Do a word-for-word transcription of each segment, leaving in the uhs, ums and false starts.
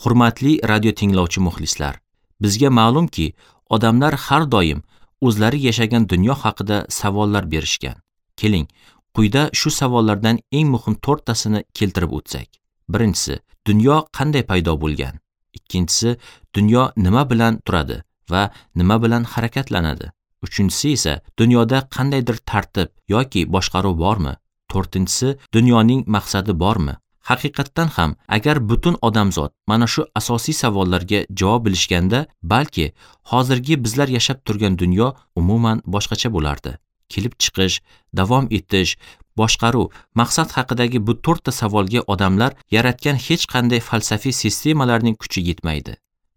Hurmatli radio tinglovchi muxlislar, bizga ma'lumki, odamlar har doim o'zlari yashagan dunyo haqida savollar berishgan. Keling, quyida shu savollardan eng muhim to'rttasini keltirib o'tsak. Birinchisi, dunyo qanday paydo bo'lgan? Ikkinchisi, dunyo nima bilan turadi va nima bilan harakatlanadi? Uchinchisi esa, dunyoda qandaydir tartib yoki boshqaruv bormi? To'rtinchisi, dunyoning maqsadi bormi? Haqiqatdan ham, agar butun odamzod mana shu asosiy savollarga javob bilishganda, balki hozirgi bizlar yashab turgan dunyo umuman boshqacha bo'lardi. Kelib chiqish, davom etish, boshqaruv, maqsad haqidagi bu to'rtta savolga odamlar yaratgan hech qanday falsafiy sistemalarning kuchi yetmaydi.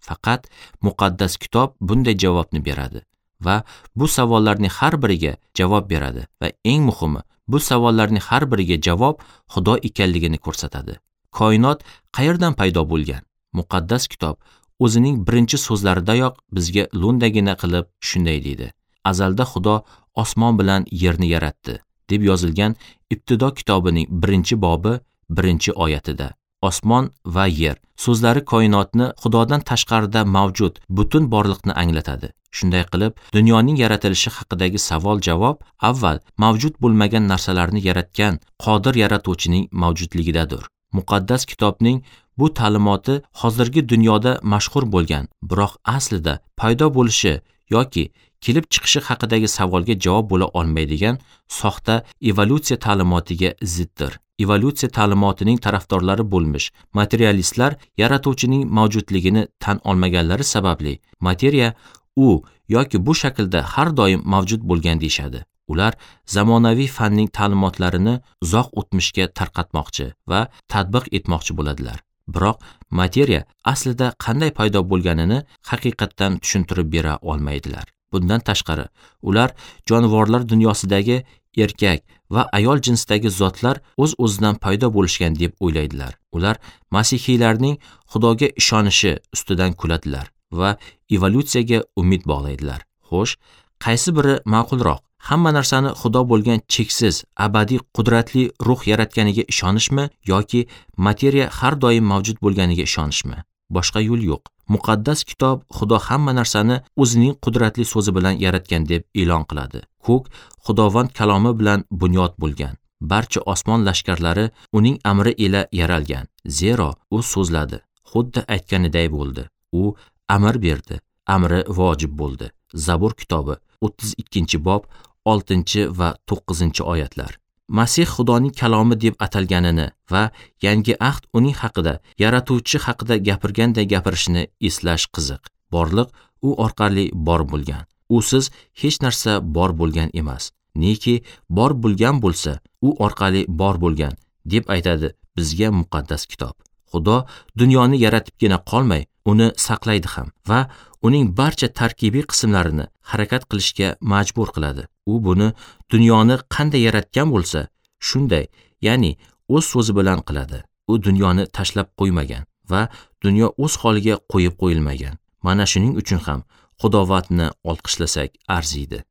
Faqat muqaddas kitob bunday javobni beradi va bu savollarning har biriga javob beradi va eng muhimi, bu savollarning har biriga javob Xudo ekanligini ko'rsatadi. Koinot qayerdan paydo bo'lgan? Muqaddas kitob o'zining birinchi so'zlaridayoq bizga lo'ndagina qilib shunday deydi: Azalda Xudo osmon bilan yerni yaratdi, deb yozilgan Ibtido kitobining birinchi bobi birinchi oyatida. Osmon va yer so'zlari koinotni Xudodan tashqarida mavjud butun borliqni anglatadi. Shunday qilib, dunyoning yaratilishi haqidagi savol-javob avval mavjud bo'lmagan narsalarni yaratgan qodir yaratuvchining mavjudligidadir. Muqaddas kitobning bu ta'limoti hozirgi dunyoda mashhur bo'lgan, biroq aslida paydo bo'lishi yoki kelib chiqishi haqidagi savolga javob bo'la olmaydigan soxta evolyutsiya ta'limotiga ziddir. Evolyutsiya ta'limotining tarafdorlari bo'lmish materialistlar yaratuvchining mavjudligini tan olmaganlari sababli materiya u yoki bu shaklda har doim mavjud bo'lgan deyshadi. Ular zamonaviy fanning ta'limotlarini uzoq o'tmishga tarqatmoqchi va tatbiq etmoqchi bo'ladilar. Biroq materiya aslida qanday paydo bo'lganini haqiqatdan tushuntirib bera olmaydilar. Bundan tashqari, ular jonivorlar dunyosidagi erkak va ayol jinsdagi zotlar o'z-o'zidan paydo bo'lishgan deb o'ylaydilar. Ular masihiylarning Xudoga ishonishi ustidan kuladilar va evolyutsiyaga umid bog'laydilar. Xo'sh, qaysi biri ma'qulroq? Hamma narsani Xudo bo'lgan cheksiz, abadiy qudratli ruh yaratganiga ishonishmi yoki materiya har doim mavjud bo'lganiga ishonishmi? Boshqa yo'l yo'q. Muqaddas kitob Xudo hamma narsani o'zining qudratli so'zi bilan yaratgan deb e'lon qiladi. Ko'k Xudovand kalomi bilan bunyod bo'lgan. Barcha osmon lashkarlari uning amri ila yaralgan. Zero u so'zladi, xuddi aytganiday bo'ldi. U amr berdi, amri vojib bo'ldi. Zabur kitobi o'ttiz ikkinchi bob oltinchi va to'qqizinchi oyatlar. Masih Xudoning kalomi deb atalganini va yangi ahd uning haqida, yaratuvchi haqida gapirganday gapirishini eslash qiziq. Borliq u orqali bor bo'lgan. Usiz hech narsa bor bo'lgan emas. Neki bor bo'lgan bo'lsa, u orqali bor bo'lgan deb aytadi bizga muqaddas kitob. Xudo dunyoni yaratibgina qolmay, uni saqlaydi ham va uning barcha tarkibiy qismlarini harakat qilishga majbur qiladi. U buni dunyoni qanday yaratgan bo'lsa, shunday, ya'ni o'z so'zi bilan qiladi. U dunyoni tashlab qo'ymagan va dunyo o'z holiga qo'yib qo'yilmagan. Mana shuning uchun ham Xudovandni olqishlasak arziydi.